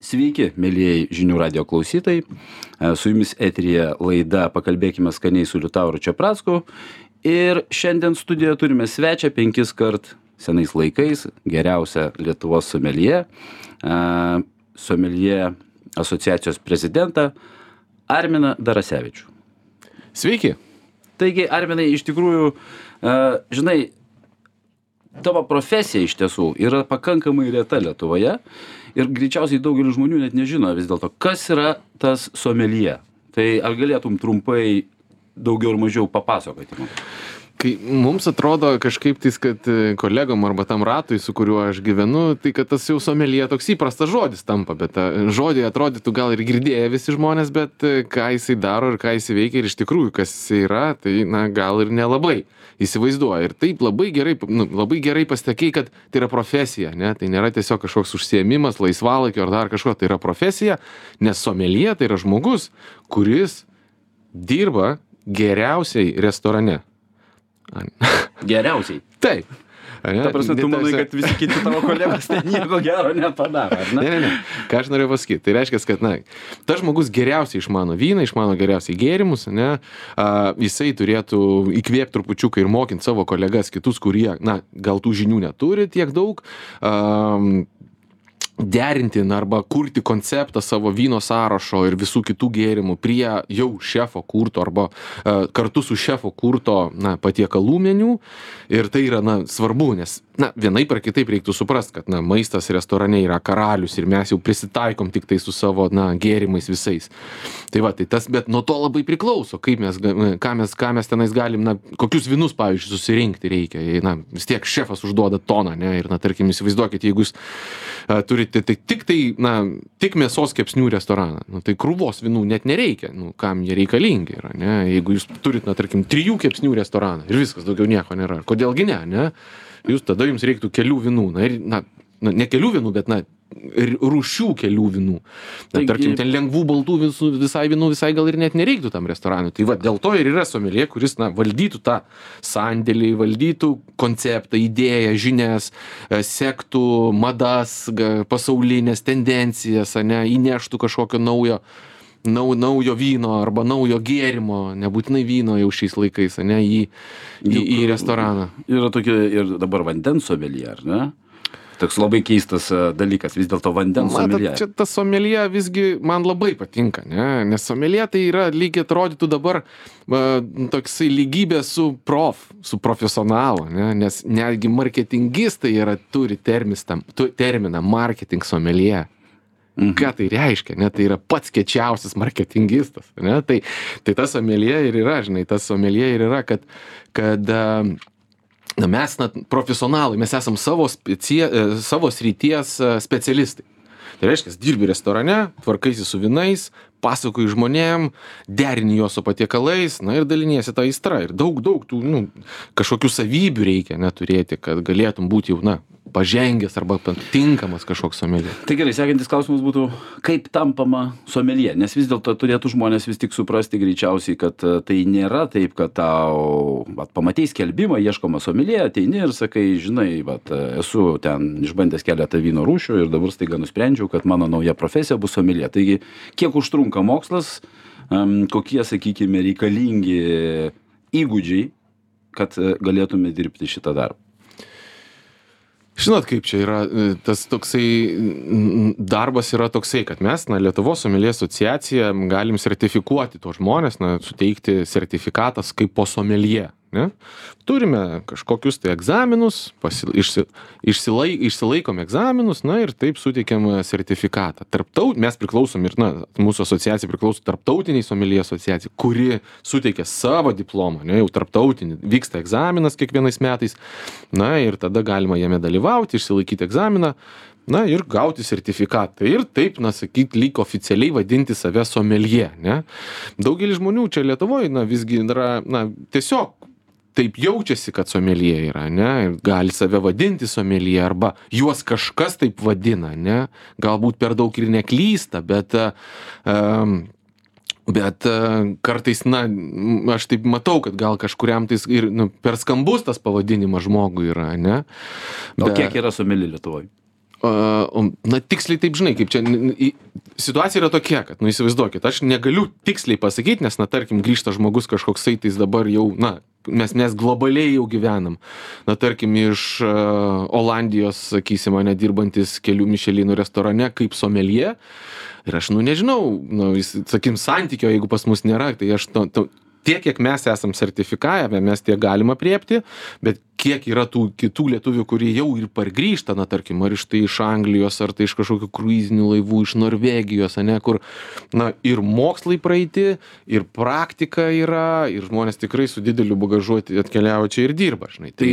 Sveiki, mėlyjei žinių radio klausytojai. Su jumis eteryje laida Pakalbėkime skaniai su Liutauru Čepracku. Ir šiandien studijoje turime svečią 5 kart senais laikais, geriausią Lietuvos someljė, someljė asociacijos prezidentą Arminą Darasevičių. Sveiki. Taigi, Arminai, iš tikrųjų, žinai, tavo profesija iš tiesų yra pakankamai reta Lietuvoje ir greičiausiai daugelis žmonių net nežino vis dėlto, kas yra tas someljė. Tai ar galėtum trumpai daugiau ir mažiau papasakoti man? Kai mums atrodo kažkaip tais, kad kolegom arba tam ratui, su kuriuo aš gyvenu, tai kad tas jau someljė toks įprastas žodis tampa, bet tą žodį atrodytų gal ir girdėję visi žmonės, bet ką jisai daro ir ką jisai veikia ir iš tikrųjų kas jisai yra, tai gal ir nelabai įsivaizduoja. Ir taip labai gerai pasakei, kad tai yra profesija, ne? Tai nėra tiesiog kažkoks užsiėmimas, laisvalaikio ar dar kažko, tai yra profesija, nes someljė tai yra žmogus, kuris dirba geriausiai restorane. Geriausiai. Taip. Ta prasme, tu manai, kad visi kiti tavo kolegos ten nieko gero nepadaro, ar ne? Ne. Ką aš norėjau pasakyti? Tai reiškia, kad, tas žmogus geriausiai išmano vyną, išmano geriausiai gėrimus, ne? Jisai turėtų įkvėpti trupučiuką ir mokinti savo kolegas kitus, kurie, gal tų žinių neturi tiek daug, derinti arba kurti konceptą savo vyno sąrašo ir visų kitų gėrimų prie jau šefo kurto arba kartu su šefo kurto patiekalų meniu. Ir tai yra svarbu, nes vienaip ar kitaip reiktų suprast, kad maistas restorane yra karalius ir mes jau prisitaikom tik tai su savo gėrimais visais. Tai va, tai tas, bet nuo to labai priklauso, kaip ką mes tenais galim, kokius vynus, pavyzdžiui, susirinkti reikia. Vis tiek šefas užduoda toną, ne? Ir, tarkim, įsivaizduokit, jeigu jūs turite tik mėsos kepsnių restoraną, tai krūvos vynų net nereikia, kam jie reikalingi yra, ne? Jeigu jūs turit, tarkim, 3 kepsnių restoraną ir viskas, daugiau nieko nėra. Kodėlgi ne? Tada jums reiktų kelių vynų, ne kelių vynų, bet rūšių kelių vynų. Tarkim, ten lengvų baltų vynų visai gal ir net nereiktų tam restoranui. Tai va, dėl to ir yra someljė, kuris valdytų tą sandėlį, valdytų konceptą, idėją, žinias, sektų madas, pasaulinės tendencijas, įneštų kažkokio naujo vyno arba naujo gėrimo, nebūtinai vyno jau šiais laikais, į restoraną. Yra tokia ir dabar vandens someljė, ar ne? Toks labai keistas dalykas, vis dėlto vandens someljė. Čia tas someljė visgi man labai patinka, ne? Nes someljė tai yra lygiai atrodytų dabar toksai lygybė su profesionalu, ne? Nes netgi marketingistai turi terminą marketing someljė. Ką tai reiškia, ne? Tai yra pats kiečiausias marketingistas, ne? Tai tas someljė ir yra, tas someljė ir yra, kad mes profesionalai, mes esam savo srities specialistai. Tai reiškia, dirbi restorane, tvarkaisi su vynais, pasakoji žmonėm, derini juos su patiekalais, ir daliniesi tą aistrą. Ir daug tų, kažkokių savybių reikia turėti, kad galėtum būti jau, pažengęs arba tinkamas kažkoks someljė. Tai gerai, sekantis klausimas būtų, kaip tampama someljė? Nes vis dėlto turėtų žmonės vis tik suprasti greičiausiai, kad tai nėra taip, kad tau pamatei skelbimą, ieškoma someljė, ateini ir sakai, žinai, esu ten išbandęs keletą vyno rūšių ir dabar staiga nusprendžiau, kad mano nauja profesija bus someljė. Taigi, kiek užtrunka mokslas, kokie, sakykime, reikalingi įgūdžiai, kad galėtume dirbti šitą darbą? Žinot, kaip čia yra, tas toksai darbas yra toksai, kad mes, Lietuvos someljė asociacija, galim sertifikuoti tuos žmonės, suteikti sertifikatas kaip po someljė. Ne? Turime kažkokius tai egzaminus, išsilaikom egzaminus, ir taip suteikiam sertifikatą. Mes priklausom ir, mūsų asociacija priklauso tarptautiniai someljė asociacijai, kuri suteikia savo diplomą, jau tarptautinį, vyksta egzaminas kiekvienais metais, ir tada galima jame dalyvauti, išsilaikyti egzaminą, ir gauti sertifikatą. Ir taip, lyg oficialiai vadinti save someljė, ne? Daugelis žmonių čia Lietuvoje, visgi yra, tiesiog taip jaučiasi, kad someljė yra, ne? Gali save vadinti someljė, arba juos kažkas taip vadina, ne? Galbūt per daug ir neklysta, bet kartais, aš taip matau, kad gal kažkuriam tais ir per skambus tas pavadinimas žmogui yra, ne? O kiek yra someljė Lietuvoje? Na, tiksliai taip, žinai, kaip čia, situacija yra tokia, kad, įsivaizduokit, aš negaliu tiksliai pasakyti, nes, tarkim, grįžta žmogus kažkoksai, tai dabar jau, mes globaliai jau gyvenam. Tarkim, iš Olandijos, sakysim, dirbantis kelių Mišelinų restorane kaip someljė. Ir aš, nežinau, sakykim, santykio, jeigu pas mus nėra, tai aš tiek, kiek mes esam sertifikavę, mes tiek galim apriepti, bet kiek yra tų kitų lietuvių, kurie jau ir pargrįžta, tarkim, ar iš Anglijos, ar tai iš kažkokių kruizinių laivų, iš Norvegijos, kur, ir mokslai praeiti, ir praktika yra, ir žmonės tikrai su dideliu bagažu atkeliavo čia ir dirba, žinai. Tai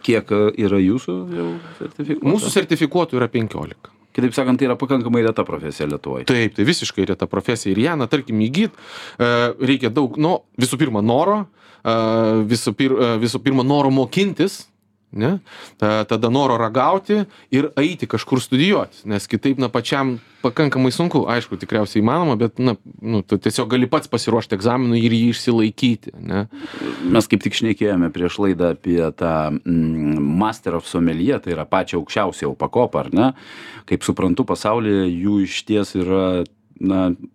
kiek yra jūsų jau sertifikuotų? Mūsų sertifikuotų yra 15. Kitaip sakant, tai yra pakankamai reta profesija Lietuvoje. Taip, tai visiškai reta profesija. Ir ją, tarkim, įgyt, reikia daug, visų pirma, noro, visų pirma, noro mokintis, ne? Tada noro ragauti ir eiti kažkur studijuoti, nes kitaip, pačiam pakankamai sunku, aišku, tikriausiai įmanoma, bet, tu tiesiog gali pats pasiruošti egzaminui ir jį išsilaikyti, ne? Mes kaip tik šnekėjome prieš laidą apie tą Master of Sommelier, tai yra pačią aukščiausią pakopą, ar ne? Kaip suprantu, pasaulyje jų išties yra,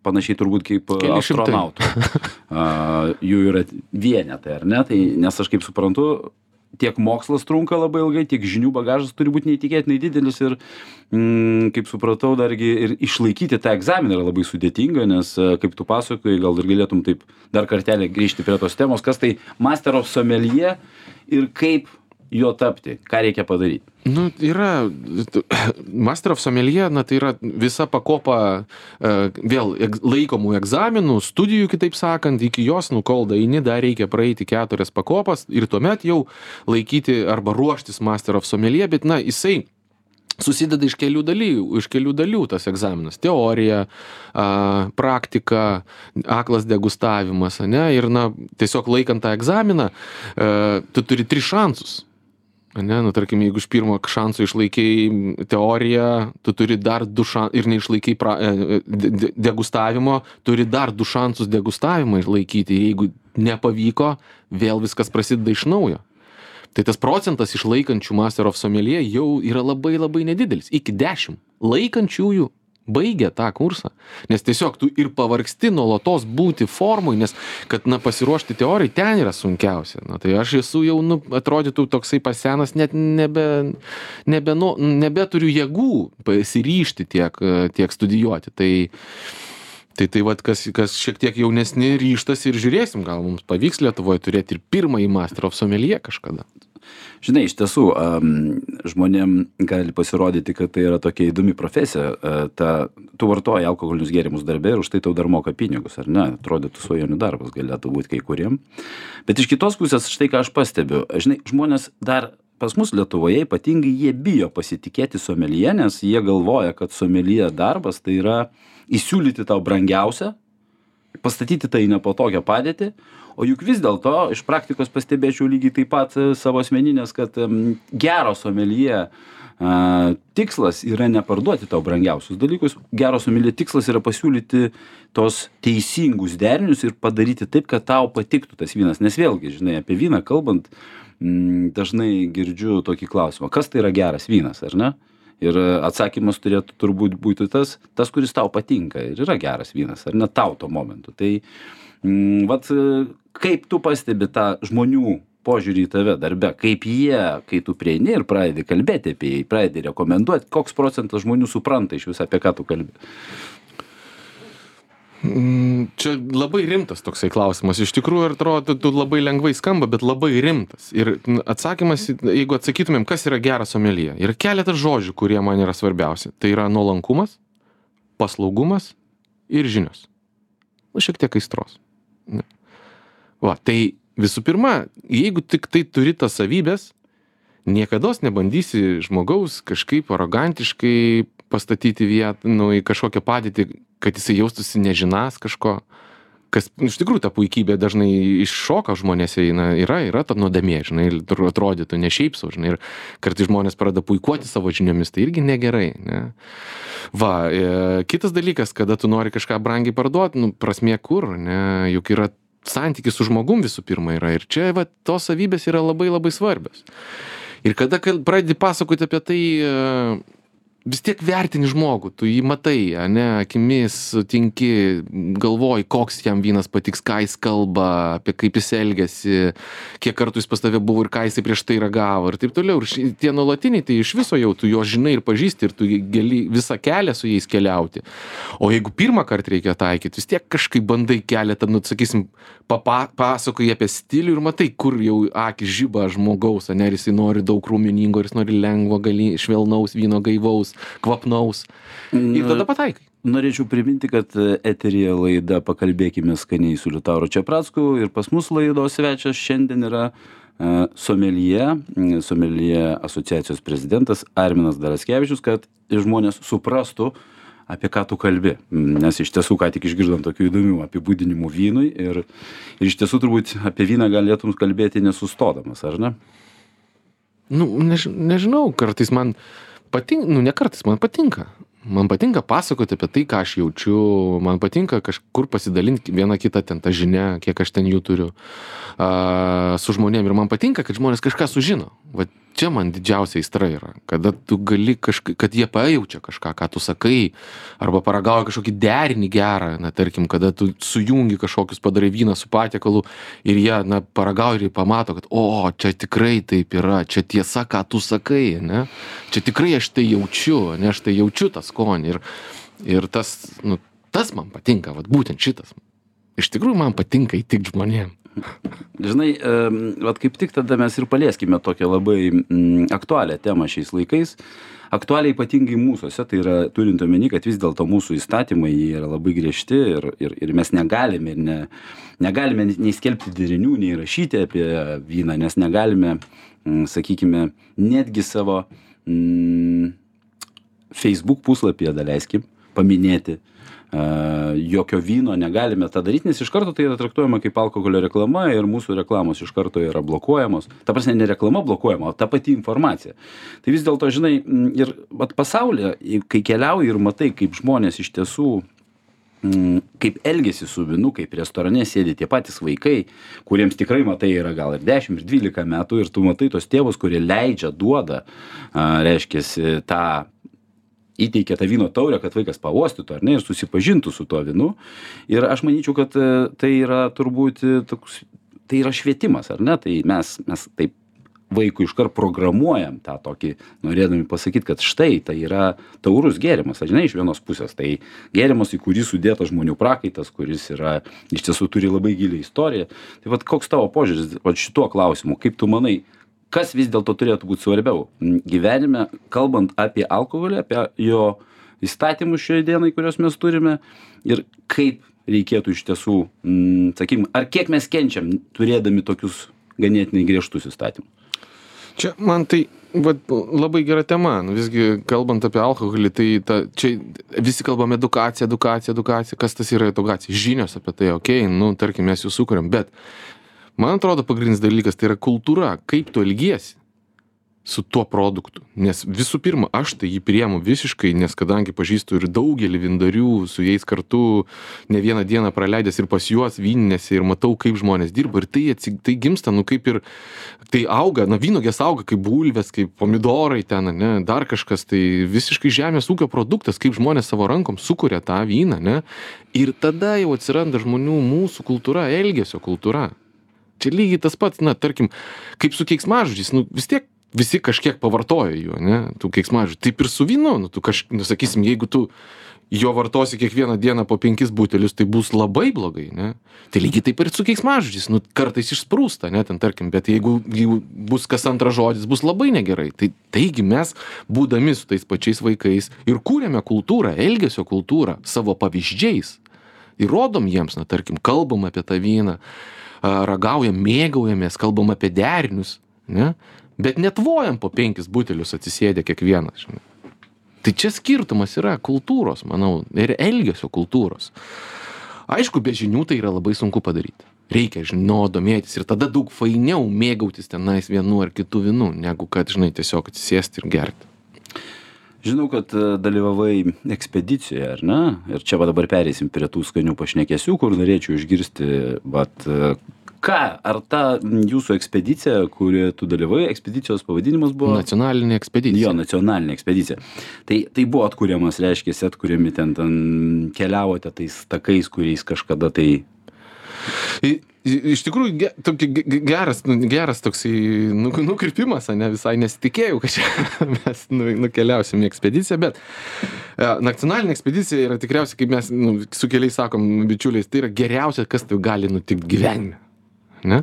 panašiai turbūt kaip astronautų. Jų yra vienetai, ar ne? Tai, nes aš kaip suprantu, tiek mokslas trunka labai ilgai, tiek žinių bagažas turi būti neįtikėtinai didelis ir, kaip supratau, dargi ir išlaikyti tą egzaminą yra labai sudėtinga, nes, kaip tu pasakoji, gal ir galėtum taip dar kartelį grįžti prie tos temos, kas tai Master of Sommelier ir kaip jo tapti, ką reikia padaryti. Yra Master of Sommelier, tai yra visa pakopa vėl laikomų egzaminų, studijų, kitaip sakant, iki jos, kol daeini, dar reikia praeiti 4 pakopas ir tuomet jau laikyti arba ruoštis Master of Sommelier, bet, jisai susideda iš kelių dalių tas egzaminas. Teorija, praktika, aklas degustavimas, ne? Ir, tiesiog laikant tą egzaminą, tu turi 3 šansus. Tarkim, jeigu iš pirmo šanso išlaikai teoriją, tu turi dar 2 šansus ir neišlaikai degustavimo, turi dar 2 šansus degustavimą išlaikyti. Jeigu nepavyko, vėl viskas prasideda iš naujo. Tai tas procentas išlaikančių Master of Sommelier jau yra labai labai nedidelis. Iki 10 laikančiųjų baigia tą kursą. Nes tiesiog tu ir pavargsti nuolatos būti formui, nes kad pasiruošti teorijai ten yra sunkiausia. Tai aš esu jau, atrodytų toksai pasenas, net nebeturiu jėgų pasiryžti tiek studijuoti. Tai vat, kas šiek tiek jaunesni ryžtas ir žiūrėsim, gal mums pavyks Lietuvoje turėti ir pirmąjį Master of Sommelier kažkada. Žinai, iš tiesų, žmonėm gali pasirodyti, kad tai yra tokia įdomi profesija. Tu vartoji alkoholinius gėrimus darbe ir už tai tau dar moka pinigus, ar ne? Atrodytų svajonių darbas galėtų būti kai kuriem. Bet iš kitos pusės, štai ką aš pastebiu. Žinai, žmonės dar pas mus Lietuvoje ypatingai jie bijo pasitikėti someljė, nes jie galvoja, kad someljė darbas tai yra įsiūlyti tau brangiausią, pastatyti tai į nepatogią padėtį, o juk vis dėlto iš praktikos pastebėčiau lygiai taip pat savo asmeninės, kad gero someljė tikslas yra neparduoti tau brangiausius dalykus, gero someljė tikslas yra pasiūlyti tos teisingus derinius ir padaryti taip, kad tau patiktų tas vynas. Nes vėlgi, žinai, apie vyną kalbant, dažnai girdžiu tokį klausimą, kas tai yra geras vynas, ar ne? Ir atsakymas turėtų turbūt būti tas, kuris tau patinka ir yra geras vynas, ar ne tau tuo momentu. Tai, kaip tu pastebi tą žmonių požiūrį į tave darbe, kaip jie, kai tu prieini ir pradedi kalbėti apie jį, pradedi rekomenduoti, koks procentas žmonių supranta iš viso, apie ką tu kalbi? Čia labai rimtas toksai klausimas. Iš tikrųjų, atrodo, labai lengvai skamba, bet labai rimtas. Ir atsakymas, jeigu atsakytumėm, kas yra geras someljė, yra keletas žodžių, kurie man yra svarbiausi. Tai yra nuolankumas, paslaugumas ir žinios. Šiek tiek aistros. Tai visų pirma, jeigu tik tai turi tas savybės, niekados nebandysi žmogaus kažkaip arogantiškai pastatyti vietą, į kažkokią padėtį, kad jisai jaustųsi nežinas kažko, kas iš tikrųjų ta puikybė dažnai iššoka žmonėse, yra ta nuodėmė, žinai, ir atrodytų ne šiaip sau, žinai, ir kartais žmonės pradeda puikuoti savo žiniomis, tai irgi negerai, ne. Kitas dalykas, kada tu nori kažką brangiai parduoti, prasmė kur, ne, juk yra santykis su žmogum visų pirma yra, ir čia tos savybės yra labai labai svarbios. Ir kada pradedi pasakoti apie tai vis tiek vertini žmogų, tu jį matai, ane, akimis sutinki, galvoji, koks jam vynas patiks, ką jis kalba, apie kaip jis elgiasi, kiek kartų jis pas tave buvo ir ką jis prieš tai ragavo ir taip toliau. Ir tie nuolatiniai, tai iš viso jau tu jo žinai ir pažįsti ir tu gali visą kelią su jais keliauti. O jeigu pirmą kartą reikia taikyti, vis tiek kažkaip bandai keletą, nu, sakysim, pasakoji apie stilių ir matai, kur jau akis žiba žmogaus, ane, ir jisai nori daug rūminingo, ir jis nori lengvo, švelnaus vyno, gaivaus, kvapnaus. Ir tada pataikai. Norėčiau priminti, kad eteryje laida Pakalbėkime skaniai su Liutauru Čepracku ir pas mus laidos svečias šiandien yra someljė asociacijos prezidentas Arminas Daraskevičius, kad žmonės suprastų, apie ką tu kalbi, nes iš tiesų ką tik išgirdom tokių įdomių apibūdinimų vynui ir iš tiesų turbūt apie vyną galėtum kalbėti nesustodamas, ar ne? Nu, nežinau, kartais man patinka, nu ne kartais, man patinka. Man patinka pasakoti apie tai, ką aš jaučiu, man patinka kažkur pasidalinti vieną kitą ten tą žinią, kiek aš ten jų turiu su žmonėm. Ir man patinka, kad žmonės kažką sužino. Va čia man didžiausia aistra yra, kada tu gali kad jie pajaučia kažką, ką tu sakai, arba paragauja kažkokį derinį gerą, na tarkim, kada tu sujungi kažkokius padarai vyną su patiekalu ir jie, na, paragauja ir pamato, kad, o, čia tikrai taip yra, čia tiesa, ką tu sakai, ne? Čia tikrai aš tai jaučiu, ne, aš tai jaučiu tą skonį ir tas, nu, tas man patinka, vat būtent šitas. Iš tikrųjų man patinka įtikti žmonėm. Žinai, vat kaip tik tada mes ir palieskime tokią labai aktualią temą šiais laikais. Aktualiai ypatingai mūsuose, tai yra turint omeny, kad vis dėlto mūsų įstatymai yra labai griežti ir mes negalime nei skelbti derinių, nei rašyti apie vyną, nes negalime, sakykime, netgi savo Facebook puslapyje, daleiskim, paminėti jokio vyno negalime tą daryti, nes iš karto tai yra traktuojama kaip alkoholio reklama ir mūsų reklamos iš karto yra blokuojamos. Ta prasme, ne reklama blokuojama, o ta pati informacija. Tai vis dėlto, žinai, ir pasaulyje, kai keliauji ir matai, kaip žmonės iš tiesų, kaip elgesi su vynu, kaip restorane sėdi tie patys vaikai, kuriems tikrai matai yra gal ir 10, ir 12 metų, ir tu matai tos tėvus, kurie leidžia, duoda, reiškiasi, įteikia tą vyno taurę, kad vaikas pauostytų, ar ne, ir susipažintų su tuo vynu. Ir aš manyčiau, kad tai yra turbūt toks, tai yra švietimas, ar ne? Tai mes taip vaikui iškart programuojam tą tokį, norėdami pasakyti, kad štai tai yra taurus gėrimas, žinai, iš vienos pusės. Tai gėrimas, į kurį sudėtas žmonių prakaitas, kuris yra, iš tiesų turi labai gilią istoriją. Tai vat koks tavo požiūris šituo klausimu, kaip tu manai, kas vis dėlto turėtų būti svarbiau gyvenime, kalbant apie alkoholį, apie jo įstatymus šioje dienai, kuriuos mes turime, ir kaip reikėtų iš tiesų, sakykim, ar kiek mes kenčiam, turėdami tokius ganėtinai griežtus įstatymus? Čia man tai labai gera tema. Visgi, kalbant apie alkoholį, tai čia visi kalbame edukacija. Kas tas yra edukacija? Žinios apie tai, okei, nu, tarkim, mes jų sukuriam, bet man atrodo, pagrindinis dalykas tai yra kultūra, kaip tu elgiesi su tuo produktu. Nes visų pirma, aš tai jį priemu visiškai, nes kadangi pažįstu ir daugelį vyndarių, su jais kartu ne vieną dieną praleidęs ir pas juos vyninėse ir matau, kaip žmonės dirba. Ir tai gimsta, nu kaip ir, tai auga, na vynogės auga kaip bulvės, kaip pomidorai ten, ne, dar kažkas, tai visiškai žemės ūkio produktas, kaip žmonės savo rankom sukuria tą vyną, ne. Ir tada jau atsiranda žmonių mūsų kultūra, elgesio kultūra. Čia lygiai tas pats, na, tarkim, kaip su keiksmažodžiais, nu, vis tiek visi kažkiek pavartoja jų, ne, tų keiksmažodžių. Taip ir su vynu, nu, sakysim, jeigu tu jo vartosi kiekvieną dieną po 5 butelius, tai bus labai blogai, ne. Tai lygiai taip ir su keiksmažodžiais, nu, kartais išsprūsta, ne, ten, tarkim, bet jeigu bus kas antras žodis, bus labai negerai. Taigi mes, būdami su tais pačiais vaikais ir kūrėme kultūrą, elgesio kultūrą savo pavyzdžiais. Ir rodom jiems, na, tarkim, kalbam apie tą vyną, ragaujam, mėgaujamės, kalbam apie derinius, ne? Bet netvojam po 5 butelius atsisėdę kiekvienas, žinai. Tai čia skirtumas yra kultūros, manau, ir elgesio kultūros. Aišku, be žinių tai yra labai sunku padaryti. Reikia domėtis ir tada daug fainiau mėgautis tenais vienu ar kitu vynu, negu kad, žinai, tiesiog atsisėsti ir gerti. Žinau, kad dalyvavai ekspedicijoje, ar ne? Ir čia dabar pereisim prie tų skanių pašnekesių, kur norėčiau išgirsti, ką, ar ta jūsų ekspedicija, kuri tu dalyvai, ekspedicijos pavadinimas buvo? Nacionalinė ekspedicija. Jo, nacionalinė ekspedicija. Tai buvo atkuriamas, reiškia, atkuriami ten keliavote tais takais, kuriais kažkada tai... Iš tikrųjų, geras toksai nukrypimas, ne, visai nesitikėjau, kad čia mes nukeliausim į ekspediciją, bet nacionalinė ekspedicija yra tikriausiai, kaip mes su keliais sakom, bičiuliais, tai yra geriausia, kas tai gali nutikti gyvenime. Ne?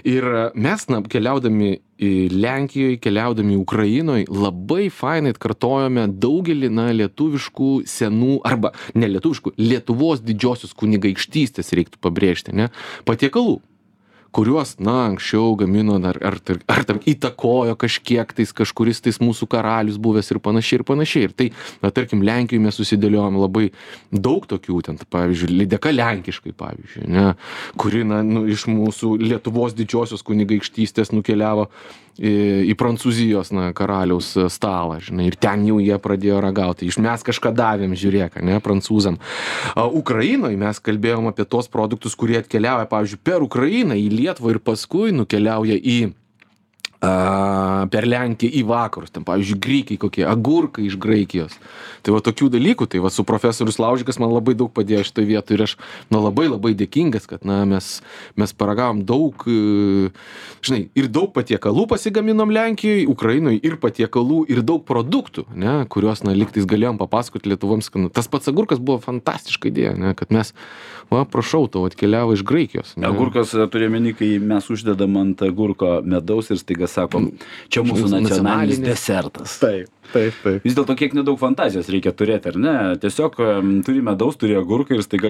Ir mes keliaudami į Lenkijoje, keliaudami Ukrainoje, labai fainai atkartojome daugelį lietuviškų senų, arba ne lietuviškų, Lietuvos didžiosios kunigaikštystės reiktų pabrėžti, ne? Patiekalų, kuriuos, anksčiau gamino ar įtakojo kažkiek tais, kažkuris tais mūsų karalius buvęs ir panašiai ir panašiai. Ir tai, tarkim, Lenkijoje mes susidėliojom labai daug tokių, ten, pavyzdžiui, lydeka lenkiškai, pavyzdžiui, ne, kuri, iš mūsų Lietuvos didžiosios kunigaikštystės nukeliavo į Prancūzijos karaliaus stalą, žinai, ir ten jau jie pradėjo ragauti. Mes kažką davėm, žiūrėk, ne, prancūzam. Ukrainoje mes kalbėjom apie tos produktus, kurie atkeliauja, pavyzdžiui, per Ukrainą į Lietuvą ir paskui nukeliauja per Lenkiją į vakarus. Ten, pavyzdžiui, grikiai kokie, agurkai iš Graikijos. Tai va tokių dalykų, tai va su profesorius Laužikas man labai daug padėjo šitoje vietoje ir aš labai labai dėkingas, kad mes paragavom daug, žinai, ir daug patiekalų pasigaminom Lenkijoje, Ukrainoje ir patiekalų ir daug produktų, ne, kuriuos lygtais galėjom papasakoti lietuvoms. Tas pats agurkas buvo fantastiška idėja, ne, kad mes, prašau, tau atkeliavo iš Graikijos. Ne. Agurkas turi omeny, kai mes uždedam ant agurko medaus ir staiga sakom, čia mūsų nacionalinis desertas. Taip. Vis dėlto kiek nedaug fantazijos reikia turėti, ar ne? Tiesiog turi medaus, turi agurką ir staiga